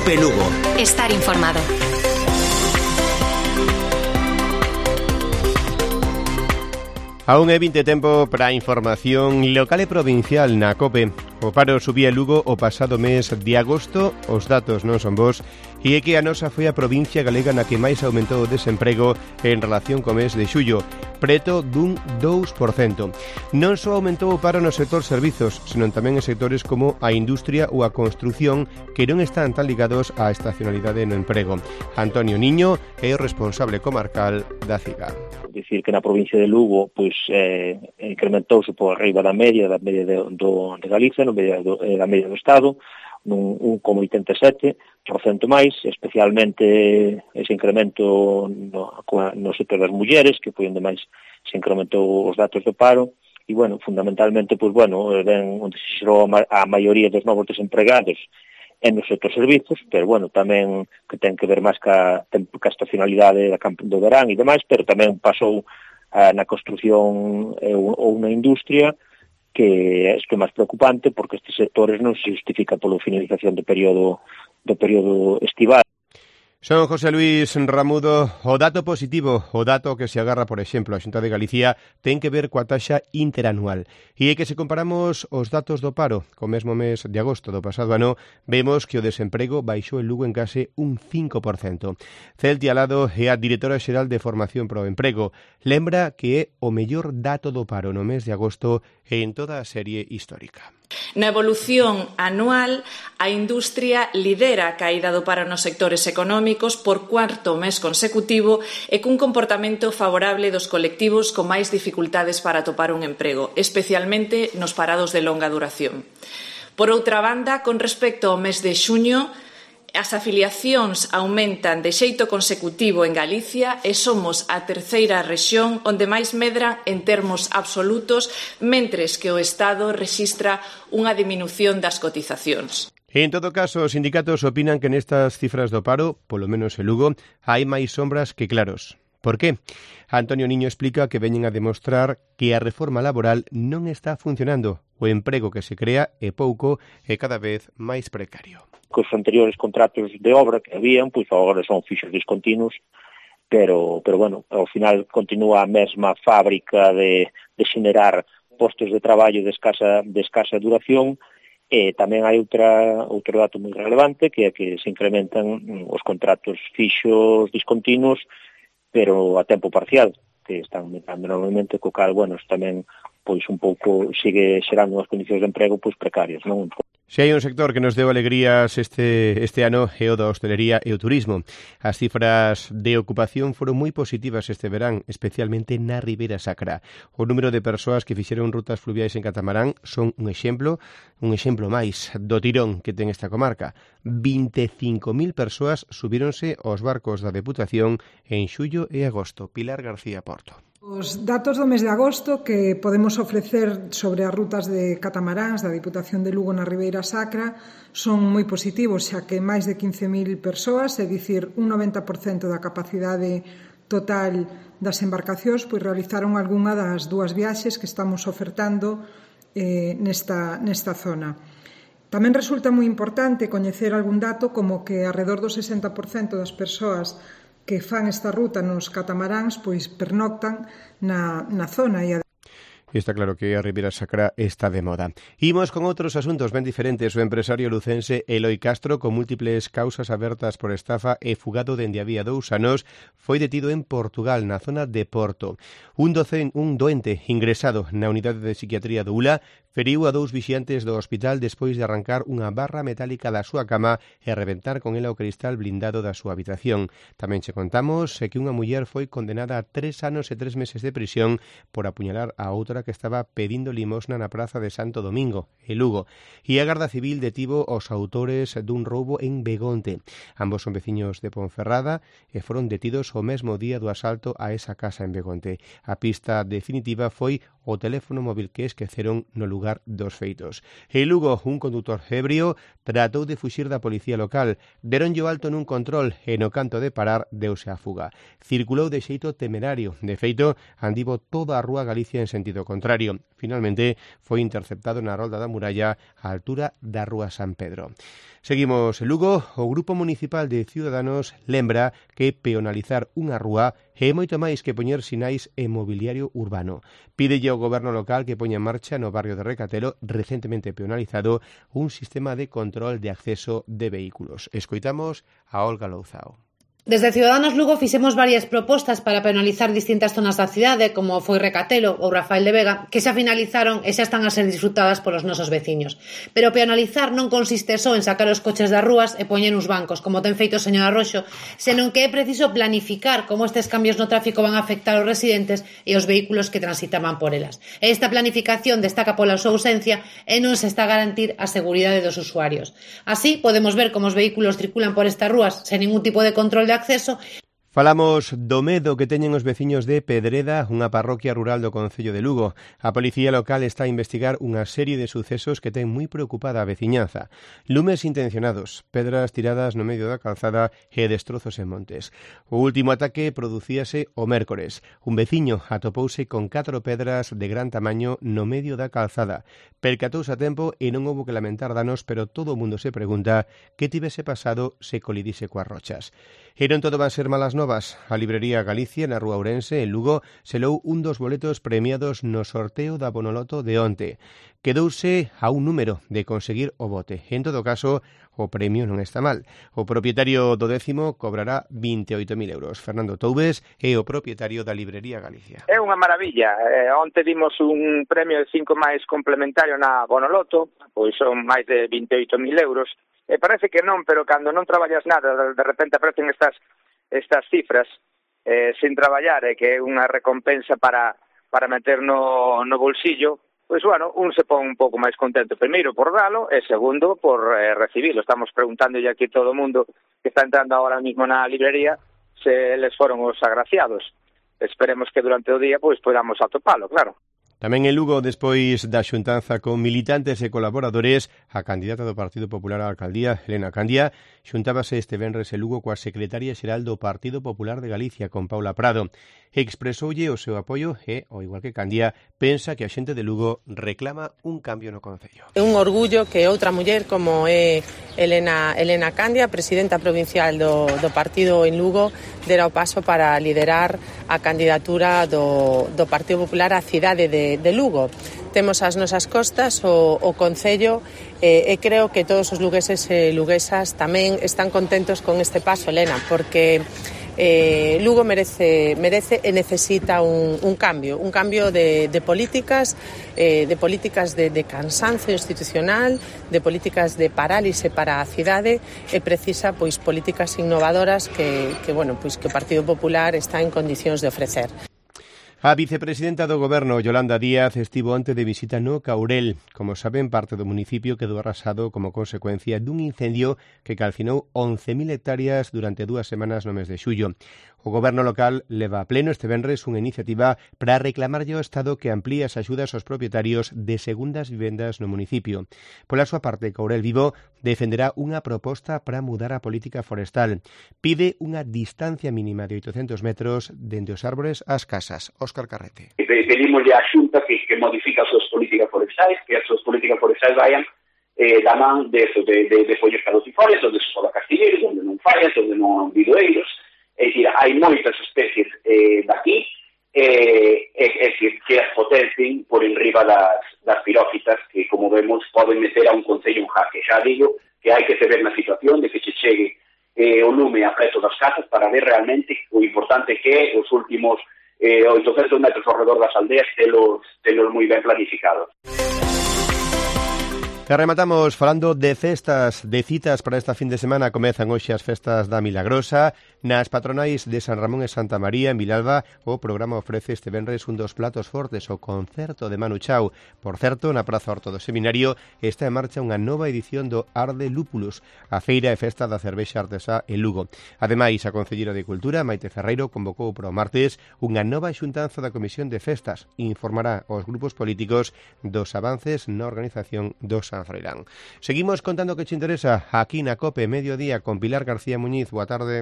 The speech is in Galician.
Cope Lugo. Estar informado. Aún é 20 tempo para a información local e provincial na Cope. O paro subía en Lugo o pasado mes de agosto, os datos non son bons, e é que a nosa foi a provincia galega na que máis aumentou o desemprego en relación co mes de xullo, preto dun 2%. Non só aumentou o paro no sector servizos, senón tamén en sectores como a industria ou a construción que non están tan ligados á estacionalidade no emprego. Antonio Niño é o responsable comarcal da CIGA. Dicir que na provincia de Lugo pois incrementouse por arriba da media de Galicia, da media do Estado, nun 1,87% máis, especialmente ese incremento no sector das mulleres, que foi onde máis se incrementou os datos do paro, e, fundamentalmente, onde se xerou a maioría dos novos desempregados no sector servizos, pero, tamén que ten que ver máis ca estacionalidade do verán e demais, pero tamén pasou na construción ou na industria, que isto é máis preocupante, porque estes sectores non se justifica pola finalización do período estival. Son José Luis Ramudo. O dato positivo, o dato que se agarra, por exemplo, a Xunta de Galicia, ten que ver coa taxa interanual. E é que se comparamos os datos do paro co mesmo mes de agosto do pasado ano, vemos que o desemprego baixou en Lugo en case un 5%. Celtia Alado é a directora xeral de Formación pro Emprego. Lembra que é o mellor dato do paro no mes de agosto en toda a serie histórica. Na evolución anual, a industria lidera a caída do paro nos sectores económicos por cuarto mes consecutivo e cun comportamento favorable dos colectivos con máis dificultades para atopar un emprego, especialmente nos parados de longa duración. Por outra banda, con respecto ao mes de xuño, as afiliacións aumentan de xeito consecutivo en Galicia e somos a terceira rexión onde máis medran en termos absolutos, mentres que o Estado rexistra unha diminución das cotizacións. En todo caso, os sindicatos opinan que nestas cifras do paro, polo menos en Lugo, hai máis sombras que claros. Por qué? Antonio Niño explica que veñen a demostrar que a reforma laboral non está funcionando. O emprego que se crea é pouco e cada vez máis precario. Cos anteriores contratos de obra que habían, pois agora son fixos discontinuos, pero ao final continúa a mesma fábrica de xenerar postos de traballo de escasa duración, e tamén hai outro dato moi relevante, que é que se incrementan os contratos fixos discontinuos, pero a tempo parcial, que están aumentando normalmente, co cal, tamén pois un pouco sigue xerando unhas condicións de emprego pois precarias, non? Se hai un sector que nos deu alegrías este ano é o da hostelería e o turismo. As cifras de ocupación foron moi positivas este verán, especialmente na Ribeira Sacra. O número de persoas que fixeron rutas fluviais en catamarán son un exemplo máis do tirón que ten esta comarca. 25.000 persoas subíronse aos barcos da Deputación en xullo e agosto. Pilar García Porto. Os datos do mes de agosto que podemos ofrecer sobre as rutas de catamaráns da Diputación de Lugo na Ribeira Sacra son moi positivos, xa que máis de 15.000 persoas, é dicir, un 90% da capacidade total das embarcacións, pois realizaron algunha das dúas viaxes que estamos ofertando nesta zona. Tamén resulta moi importante coñecer algún dato como que alrededor do 60% das persoas que fan esta ruta nos catamaráns pois pernoctan na zona e Está claro que a Ribeira Sacra está de moda. Imos con outros asuntos ben diferentes. O empresario lucense Eloi Castro, con múltiples causas abertas por estafa e fugado dende había 2 anos, foi detido en Portugal, na zona de Porto. Un doente ingresado na unidade de psiquiatría do ULA feriu a 2 vixiantes do hospital despois de arrancar unha barra metálica da súa cama e reventar con ela o cristal blindado da súa habitación. Tamén che contamos que unha muller foi condenada a 3 anos e 3 meses de prisión por apuñalar a outra que estaba pedindo limosna na praza de Santo Domingo, en Lugo. E a Garda Civil detivo os autores dun roubo en Begonte. Ambos son veciños de Ponferrada e foron detidos o mesmo día do asalto a esa casa en Begonte. A pista definitiva foi o teléfono móvil que esqueceron no lugar dos feitos. En Lugo, un condutor ebrio tratou de fuxir da policía local. Deronlle o alto nun control e no canto de parar deuse a fuga. Circulou de xeito temerario. De feito, andivo toda a rúa Galicia en sentido do contrario. Finalmente foi interceptado na rolda da Muralla á altura da Rúa San Pedro. Seguimos en Lugo. O Grupo Municipal de Ciudadanos lembra que peonalizar unha rúa é moito máis que poñer sinais e mobiliario urbano. Pídelle ao goberno local que poña en marcha no barrio de Recatelo, recentemente peonalizado, un sistema de control de acceso de vehículos. Escoitamos a Olga Louzao. Desde Ciudadanos Lugo fixemos varias propostas para penalizar distintas zonas da cidade, como foi Recatelo ou Rafael de Vega, que xa finalizaron e xa están a ser disfrutadas polos nosos veciños. Pero penalizar non consiste só en sacar os coches das rúas e poñer uns bancos, como ten feito o señor Arroxo, senón que é preciso planificar como estes cambios no tráfico van a afectar aos residentes e os vehículos que transitaban por elas. E esta planificación destaca pola súa ausencia e non se está a garantir a seguridade dos usuarios. Así, podemos ver como os vehículos circulan por estas rúas sen ningún tipo de control de acceso. Falamos do medo que teñen os veciños de Pedreda, unha parroquia rural do concello de Lugo. A policía local está a investigar unha serie de sucesos que ten moi preocupada a veciñanza. Lumes intencionados, pedras tiradas no medio da calzada e destrozos en montes. O último ataque producíase o mércores. Un veciño atopouse con 4 pedras de gran tamaño no medio da calzada. Percatouse a tempo e non houbo que lamentar danos, pero todo o mundo se pregunta que tivese pasado se colidise coas rochas. E non todo van ser malas novas. A librería Galicia, na Rúa Ourense, en Lugo, selou un dos boletos premiados no sorteo da Bonoloto de onte. Quedouse a un número de conseguir o bote. En todo caso, o premio non está mal. O propietario do 10º cobrará 28.000 euros. Fernando Toubes é o propietario da librería Galicia. É unha maravilla. Onte dimos un premio de 5 máis complementario na Bonoloto, pois son máis de 28.000 euros. E parece que non, pero cando non traballas nada, de repente aparecen estas cifras sin traballar, que é unha recompensa para meter no bolsillo, pois, bueno, un se pon un pouco máis contento, primeiro por dalo e segundo por recibilo. Estamos preguntándolle aquí todo o mundo que está entrando ahora mismo na librería se eles foron os agraciados. Esperemos que durante o día pois podamos atopalo, claro. Tamén en Lugo, despois da xuntanza con militantes e colaboradores, a candidata do Partido Popular á alcaldía, Elena Candia, xuntábase este venres en Lugo coa secretaria xeral do Partido Popular de Galicia, con Paula Prado. Expresoulle o seu apoio e, ao igual que Candia, pensa que a xente de Lugo reclama un cambio no concello. É un orgullo que outra muller como é Elena Candia, presidenta provincial do partido en Lugo, dera o paso para liderar a candidatura do Partido Popular á cidade de Lugo. Temos as nosas costas o concello e creo que todos os lugueses e luguesas tamén están contentos con este paso, Elena, porque Lugo merece e necesita un cambio de políticas, de cansancio institucional, de políticas de parálise para a cidade e precisa pois políticas innovadoras que o Partido Popular está en condicións de ofrecer. A vicepresidenta do Goberno, Yolanda Díaz, estivo onte de visita no Caurel. Como saben, parte do municipio quedou arrasado como consecuencia dun incendio que calcinou 11.000 hectáreas durante 2 semanas no mes de xullo. O Goberno local leva a pleno este venres unha iniciativa para reclamarlle ao Estado que amplíe as axudas aos propietarios de segundas vivendas no municipio. Pola súa parte, Caurel Vivo defenderá unha proposta para mudar a política forestal. Pide unha distancia mínima de 800 metros dende os árbores ás casas. Óscar Carrete. Pedimoslle á Xunta que modifique as súas políticas forestais, que as súas políticas forestais vayan da man de follos caducifolios, onde se poda castilleiros, onde non fallas, onde non bidoeiros. É dicir, hai moitas especies daqui, é dicir, que as potencien por enriba das pirófitas que, como vemos, poden meter a un concello en jaque. Xa digo que hai que se ver na situación de que se chegue o lume a preto das casas para ver realmente o importante que é os últimos 800 metros ao redor das aldeas telos moi ben planificados. E rematamos falando de festas, de citas para esta fin de semana. Comezan hoxe as festas da Milagrosa. Nas patronais de San Ramón e Santa María, en Vilalba, o programa ofrece este venres un dos platos fortes, o concerto de Manu Chao. Por certo, na Praza Horto do Seminario está en marcha unha nova edición do Arde Lúpulos, a feira e festa da cervexa artesá en Lugo. Ademais, a Concelleira de Cultura, Maite Ferreiro, convocou para o martes unha nova xuntanza da Comisión de Festas. Informará aos grupos políticos dos avances na organización do San Froilán. Seguimos contando que te interesa aquí na COPE Mediodía con Pilar García Muñiz. Boa tarde.